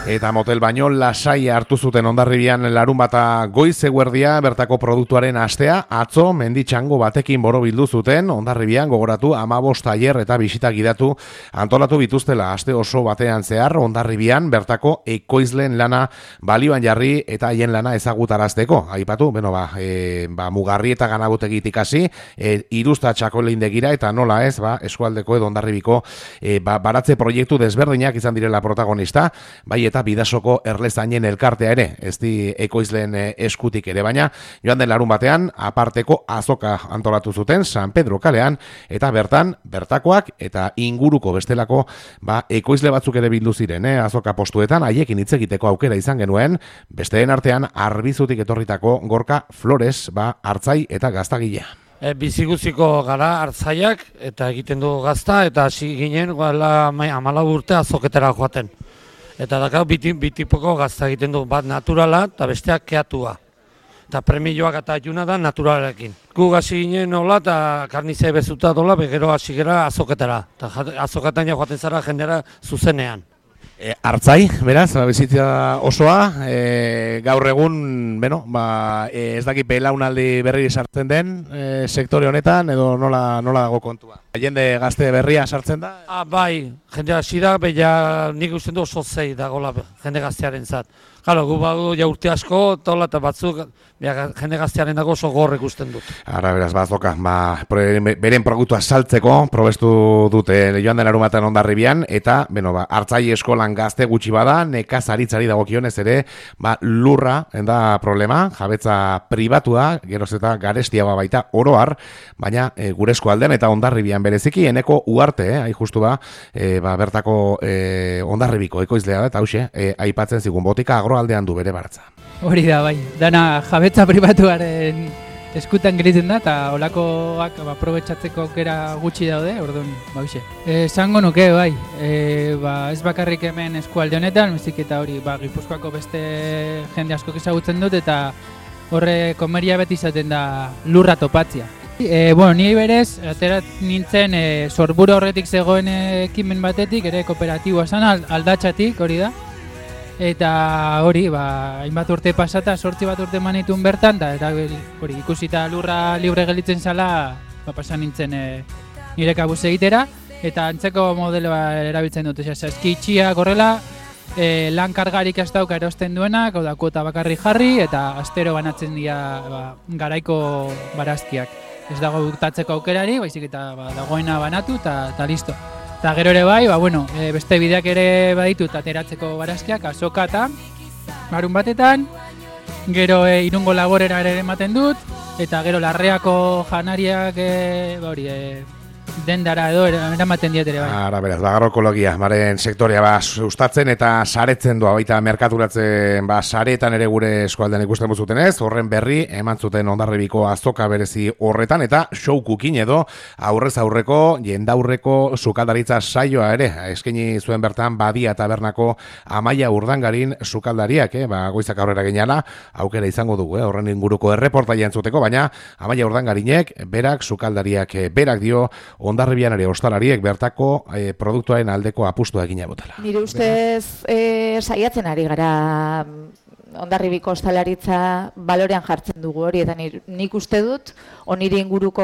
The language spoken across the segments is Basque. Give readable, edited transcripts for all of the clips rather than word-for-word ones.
Eta motel baino lasai hartu zuten Hondarribian larunbata goiz eguerdia bertako produktuaren astea, atzo menditxango batekin borobildu zuten Hondarribian gogoratu 15 tailer eta bisita gidatu antolatu bituztela aste oso batean zehar Hondarribian bertako ekoizleen lana balioan jarri eta haien lana ezagutarazteko. Aipatu, mugarri eta ganabutegitik hasi, iruzta txakolindegira eta nola ez, eskualdeko edo Hondarribiko baratze proiektu desberdinak izan direla protagonista, bai eta Bidasoko erlezainen elkartea ere, ez di ekoizleen eskutik ere, baina joan den larun batean aparteko azoka antolatu zuten San Pedro kalean, eta bertakoak eta inguruko bestelako ekoizle batzuk ere bildu ziren, azoka postuetan, haiekin hitz egiteko aukera izan genuen, besteen artean Arbizutik etorritako Gorka Flores, hartzai eta gaztagilea. Biziguziko gara hartzaiak eta egiten du gazta eta hasi ginen 14 urte azoketara joaten. Eta dakar bitipoko gazta egiten du, bat naturala eta besteak keatua. Eta premioak eta juna da naturalarekin. Gu hasi ginen nola eta karnizea bezuta dola, begero hasi gara azoketara. Eta azoketan joaten zara jendera zuzenean. Hartzai, beraz, bizitza osoa, gaur egun, ez dakit belaunaldi berri sartzen den sektore honetan, edo nola dago kontua? Jende gazte berria sartzen da? Bai, jende hasi da, nik usten du oso zei dagoela jende gaztearen zat. Galo, gu badu urte asko, eta batzuk jende gaztearen dago oso gorrek usten dut. Ara, beraz, bazoka, beren produktua saltzeko, probestu dute joan den larunbatean Hondarribian, eta, hartzai eskolan gazte gutxi bada, nekazaritzari dagokionez ere, lurra, da problema, jabetza pribatua, geroz eta garestiagoa baita oroar, baina gure eskualdean eta Hondarribian bereziki, eneko uarte, justu bertako Hondarribiko ekoizlea da, eta hauxe, aipatzen zigun botika agroaldean du bere baratza. Hori da, bai, dana jabetza pribatuaren eskutan gelitzen da, eta olakoak aprobetxatzeko aukera gutxi daude, orduan, hauxe. Esango nuke, bai, ez bakarrik hemen eskualde honetan, bezik eta hori, Gipuzkoako beste jende askok ezagutzen dut, eta horre komeria beti izaten da lurra topatzia. Ni berez, aterat nintzen Sorburu horretik zegoen ekimen batetik, ere kooperatiboa zan, aldatxatik, hori da. Eta hori, hainbat urte pasata, 8 bat urte manitun bertan, eta hori ikusita lurra libre gelitzen zala, pasan nintzen nire kabuz egitera, eta antzeko modeloa erabiltzen dut, eskitxia gorrela, lan kargarik ez dauka erosten duenak, kuota bakarri jarri, eta astero banatzen dira garaiko barazkiak. Ez dago buktatzeko aukerari, baizik eta dagoena banatu, eta listo. Eta gero ere bai, beste bideak ere baditut ateratzeko barazkiak, azoka eta larun batetan, gero Irungo laborera ere ematen dut, eta gero Larreako janariak dendara edo eramaten diet ere bai. Ara, beraz, agroekologia, maren sektorea sustatzen eta saretzen doa, baita merkaturatzen saretan ere gure eskualdean ikusten buzuten ez, horren berri eman zuten Hondarribiko azoka berezi horretan, eta show cooking edo aurrez aurreko, jendaurreko sukaldaritza saioa ere, eskaini zuen bertan Badia Tabernako Amaia Urdangarin sukaldariak, goizak aurrera geniala, aukera izango dugu, horren inguruko erreportaia entzuteko, baina Amaia Urdangarinek, berak sukaldariak, berak dio, Hondarribian ere ostalariek bertako produktuaren aldeko apustua egina botela. Nire ustez saiatzen ari gara Hondarribiko ostalaritza balorean jartzen dugu hori, eta nik uste dut oniri inguruko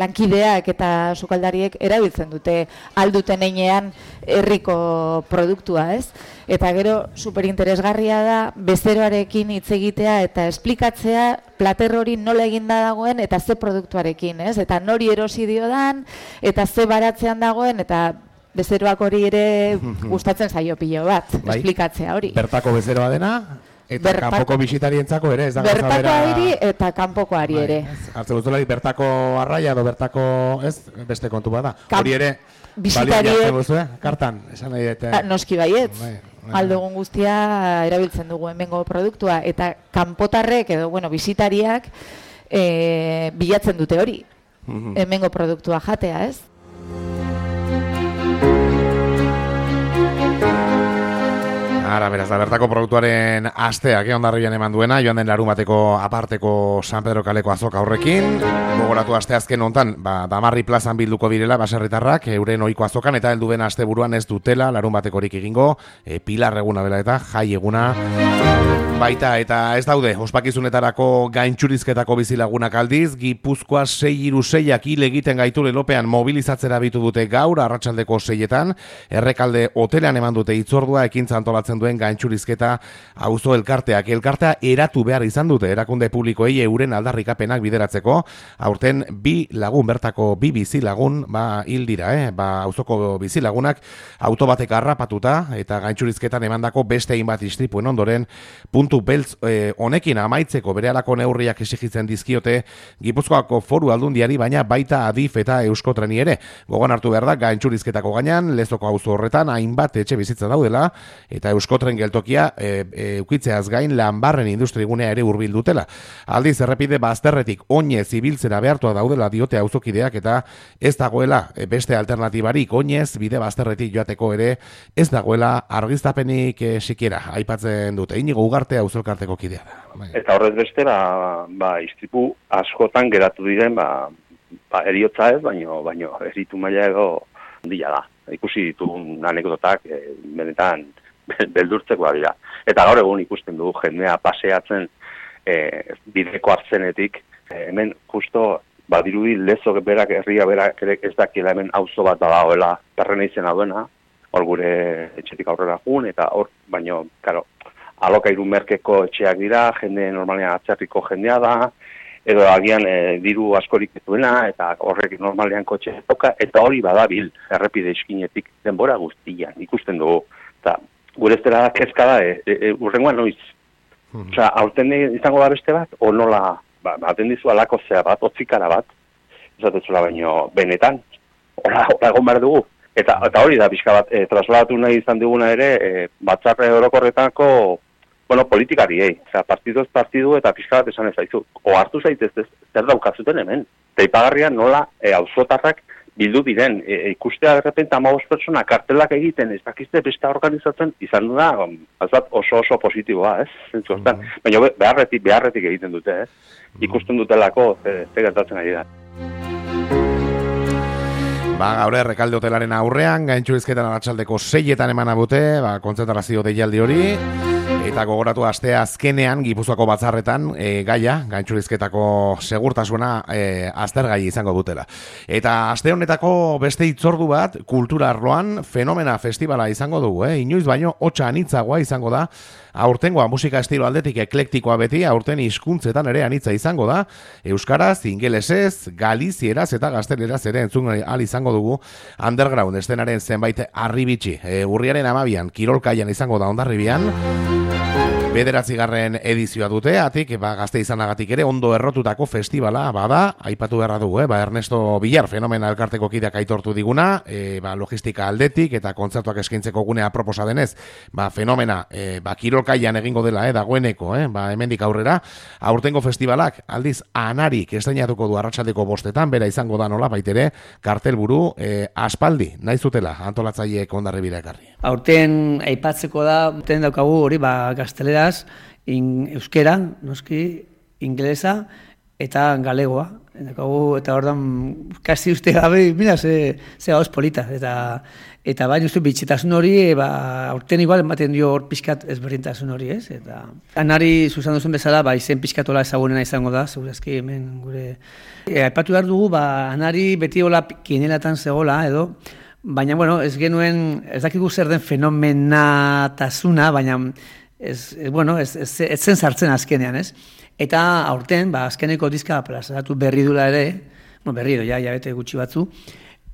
lankideak eta sukaldariek erabiltzen dute alduten einean herriko produktua, ez? Eta gero superinteresgarria da bezeroarekin hitz egitea eta esplikatzea plater hori nola eginda dagoen eta ze produktuarekin, ez? Eta nori erosi diodan eta ze baratzean dagoen, eta bezeroak hori ere gustatzen zaio pilo bat, esplikatzea hori. Bertako bezeroa dena, eta kanpoko bisitarientzako ere, ez da gauza bera... Bertako ari eta kanpoko ari ere. Hartzen duzulari bertako arraia edo bertako, ez, beste kontu bada. Hori ere, bisitariek... kartan, esan nahi dute... Noski baietz. Aldogun guztia erabiltzen dugu hemengo produktua, eta kanpotarrek edo, bisitariak bilatzen dute hori. Hemengo produktua jatea, ez? Ara, beraz, da bertako produktuaren asteak Hondarribian eman duena, joan den larunbateko aparteko San Pedro kaleko azoka horrekin. Gogoratu asteazken hontan, Damarri plazan bilduko direla baserritarrak euren ohiko azokan, eta heldu den asteburuan ez dutela larunbatekorik egingo, Pilar eguna dela eta jai eguna baita, eta ez daude ospakizunetarako gaintxurizketako bizilagunak aldiz. Gipuzkoa 636ak hil egiten gaitu lelopean mobilizatzera bitu dute gaur arratsaldeko 6etan, Errekalde hotelean eman dute hitzordua ekintza antolatzen duen gaintxurizketa auzo elkartea eratu behar izan dute erakunde publikoei euren aldarrikapenak bideratzeko. Aurten bi lagun bertako bi bizilagun hil dira, auzoko bizilagunak auto batek harrapatuta eta gaintxurizketan emandako beste hainbat istripuen ondoren puntu beltz honekin amaitzeko berehalako neurriak exigitzen dizkiote Gipuzkoako Foru Aldundiari, baina baita Adif eta Euskotreni ere. Gogoan hartu behar da gaintxurizketako gainean Lezoko auzo horretan hainbat etxe bizitza daudela eta Euskotren geltokia ukitzeaz gain Lanbarren industrigunea ere hurbil dutela. Aldiz errepide bazterretik oinez ibiltzera behartua daudela diote auzokideak, eta ez dagoela beste alternatibarik oinez bide bazterretik joateko ere ez dagoela argiztapenik sikiera aipatzen dute. Inigo Ugarte auzolkarteko kidea da. Eta horrez beste istripu askotan geratu diren eriotza ez, baino eritu maila edo handia da. Ikusi ditugun anekdotak benetan beldurtzeko dira. Eta gaur egun ikusten dugu jendea paseatzen bideko hartzenetik, hemen justo badirudi Lezo berak, herria berak ez dakiela hemen auzo bat dagoela Perrena izena duena, hor gure etxetik aurrera jun, eta hor, baino, karo, alokairu merkeko etxeak dira, jende normalean atzerriko jendea da, edo agian diru askorik duena, eta horrek normalean kotxe toka, eta hori badabil errepide eskinetik denbora guztian ikusten dugu. Eta gure ez dela kezka da, urrengoan noiz. Osea, aurten izango da beste bat, o nola, baten dizu alako zea bat, otzikara bat, ezatetzula baino benetan, hola egon behar dugu. Eta hori da pixka bat, trasladatu nahi izan duguna ere, batzarre orokorretako, politikariei. Osea, partidu eta pixka bat esan ez zaizu. Ohartu zaitez zer daukazuten hemen. Teipagarrian nola auzotarrak bildu diren, ikustea derrepente 15 pertsona kartelak egiten, ez dakizte beste organizatzen, izan da, oso positiboa, ez? Zentzu hortan. Baina beharretik egiten dute, ez? Ikusten dutelako, ze gertatzen ari da. Gaur Errekalde hotelaren aurrean, gaintxurizketan arratsaldeko 6etan eman abute, kontzentrazio deialdi hori, eta gogoratu astea azkenean Gipuzkoako batzarretan gaia, gaintxurizketako segurtasuna aztergai izango dutela. Eta aste honetako beste hitzordu bat, kultura arloan Fenomena festivala izango dugu, inoiz baino hotsa anitzagoa izango da. Aurtengoa musika estilo aldetik eklektikoa beti, aurten hizkuntzetan ere anitza izango da. Euskaraz, ingelesez, galizieraz eta gazteleraz ere entzun ahal izango dugu underground estenaren zenbait harribitxi. Urriaren 12an kirolkaian izango da Hondarribian. 9. edizioa dute, atik, gazte izanagatik ere ondo errotutako festivala, bada, aipatu beharra dugu, Ernesto Villar, Fenomena elkarteko kideak aitortu diguna, logistika aldetik eta kontzertuak eskaintzeko gunea proposa denez, Fenomena, kirolkaian egingo dela, dagoeneko, hemendik aurrera, aurtengo festivalak, aldiz, anarik estreinatuko du arratsaldeko 5etan, bera izango da nola baitere, kartelburu, aspaldi, nahi zutela, antolatzaileek Hondarribira ekarri. Aurten aipatzeko da, aurten daukagu hori, gaztelera, euskera, noski, ingelesa eta galegoa. Eta ordan kasi uste gabe, mira, ze gauz polita. Eta baina uste bitxetasun hori, aurten igual ematen dio hor pixkat ezberdintasun hori, ez? Eta anari zuzan duzun bezala, izen pixkatola ezagunena izango da, segurazki hemen gure. Aipatu behar dugu, anari beti hola kinelatan zegoela, edo, baina, bueno, ez genuen, ez dakigu zer den fenomenatasuna, baina ez zen sartzen azkenean, ez? Eta aurten, azkeneko diska plazaratu berri dula ere, berri edo, ja bete gutxi batzu,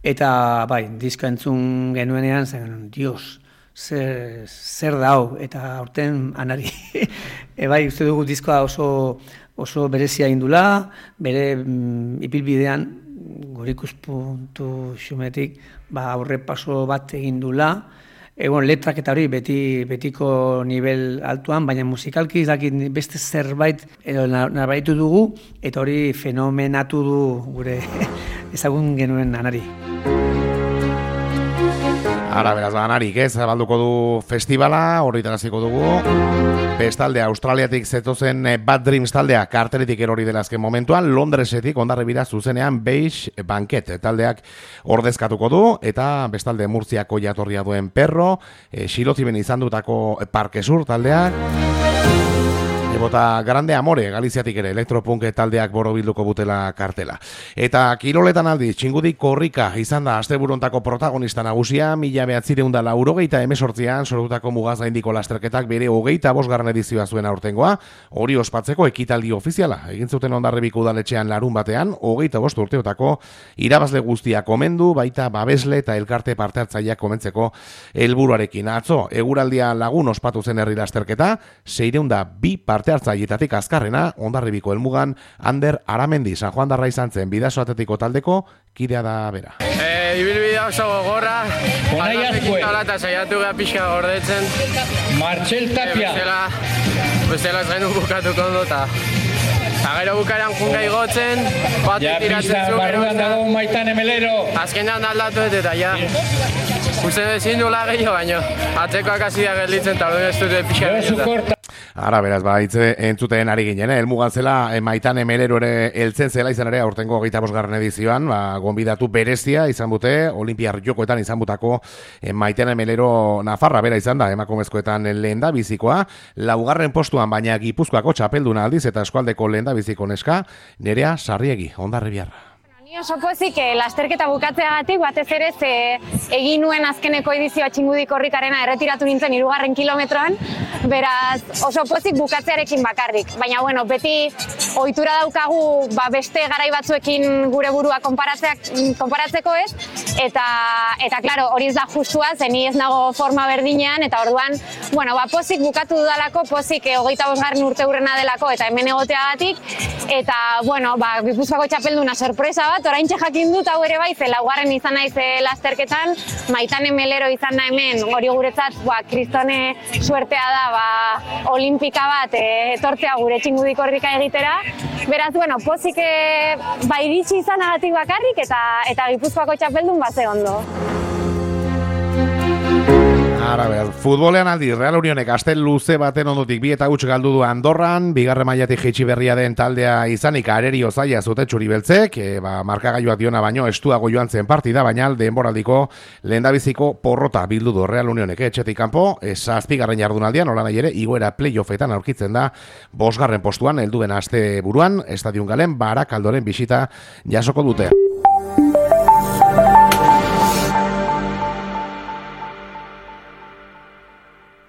eta, diska entzun genuenean, zen, dios, zer da hau, eta aurten anari, uste dugu diskoa oso berezia indula, bere ipilbidean, gorikus.xumetik, aurre paso bat egin dula, letrak eta hori betiko nivel altuan, baina musikalki beste zerbait narbaitu dugu, eta hori fenomenatu du gure ezagun genuen anari. Ara, beraz, banarik, zabalduko du festivala, horritaraziko dugu. Bestalde, Australiatik zetozen Bad Dreams taldea, karteletik erori dela azken momentuan, Londresetik ondarribira zuzenean Beige Banquet taldeak ordezkatuko du, eta bestalde Murtziako jatorria duen Perro, Xiloziben izan dutako Parque Sur taldeak, Bota Grande Amore, Galiziatik ere, elektropunk taldeak borobilduko butela kartela. Eta kiroletan aldi, Txingudi Korrika izan da asteburuntako protagonista nagusia, 1988an sortutako mugaz gaindiko lasterketak bere 25. edizioa zuen aurtengoa, hori ospatzeko ekitaldi ofiziala. Egin zuten Hondarribiko udaletxean larun batean, 25 urteotako irabazle guztiak omendu, baita babesle eta elkarte parte hartzaileak komentzeko helburuarekin. Atzo, eguraldia lagun ospatu zen herri lasterketa, 602 parte hartzaileetatik azkarrena, Hondarribiko helmugan Ander Aramendi San Juan darra izan zen Bidaso Atletiko taldeko kidea da bera. Ibilbidea oso gogorra, aldazekin talata saiatu gara pixka gordetzen. Martxel Tapia. Bestela ez gainu bukatuko ondo eta gero bukaeran junga igotzen, bat tiratzen zuen. Barruan dago Maitane Melero. Azkenean aldatu eta ja. Uste dezin dula gehiago baino, atzekoak hasi da gelditzen eta hori ez dute pixka gelditzen. Ara, beraz, entzuten ari ginen, elmugan zela, Maitane Melero ere heltzen zela izan ere, aurtengo 25. edizioan, gonbidatu berezia izan dute, Olimpiar Jokoetan izan butako Maitane Melero Nafarra bera izan da, emakumezkoetan lehenda bizikoa, laugarren postuan baina Gipuzkoako txapelduna aldiz eta eskualdeko lehenda biziko neska, Nerea Sarriegi, Hondarribiarra. Ni oso pozik lasterketa bukatzeagatik batez ere egin nuen azkeneko edizioa Txingudi Korrikarena erretiratu nintzen 3. kilometroan, beraz oso pozik bukatzearekin bakarrik. Baina bueno, beti ohitura daukagu beste garai batzuekin gure burua konparatzeko ez, eta claro, hori ez da justua, ze ni ez nago forma berdinean, eta orduan, bueno, pozik bukatu dudalako, pozik 25. urte hurrena delako eta hemen egoteagatik, eta bueno, Gipuzkoako txapelduna sorpresa bat, oraintxe jakin dut hau ere bai, ze laugarren izan naiz lasterketan, Maitane Melero izan da hemen, hori guretzat, kristone suertea da, olimpika bat etortzea gure Txingudi Korrika egitera. Beraz, bueno, pozik iritsi izanagatik bakarrik eta Gipuzkoako txapeldun ze ondo. Ara, futbolean aldi, Real Unionek astel luze baten ondotik 2 eta 1 galdu du Andorran, bigarren mailatik jaitsi berria den taldea izanik arerio zaila zute txuri beltzek, markagailuak diona baino estuago joan zen partida, baina denboraldiko lehendabiziko porrota bildu du Real Unionek etxetik kanpo, 7. jardunaldian, nola nahi ere, igoera playoffetan aurkitzen da 5. postuan, helduen aste buruan, Estadion Galen, Barakaldoren bisita jasoko dute.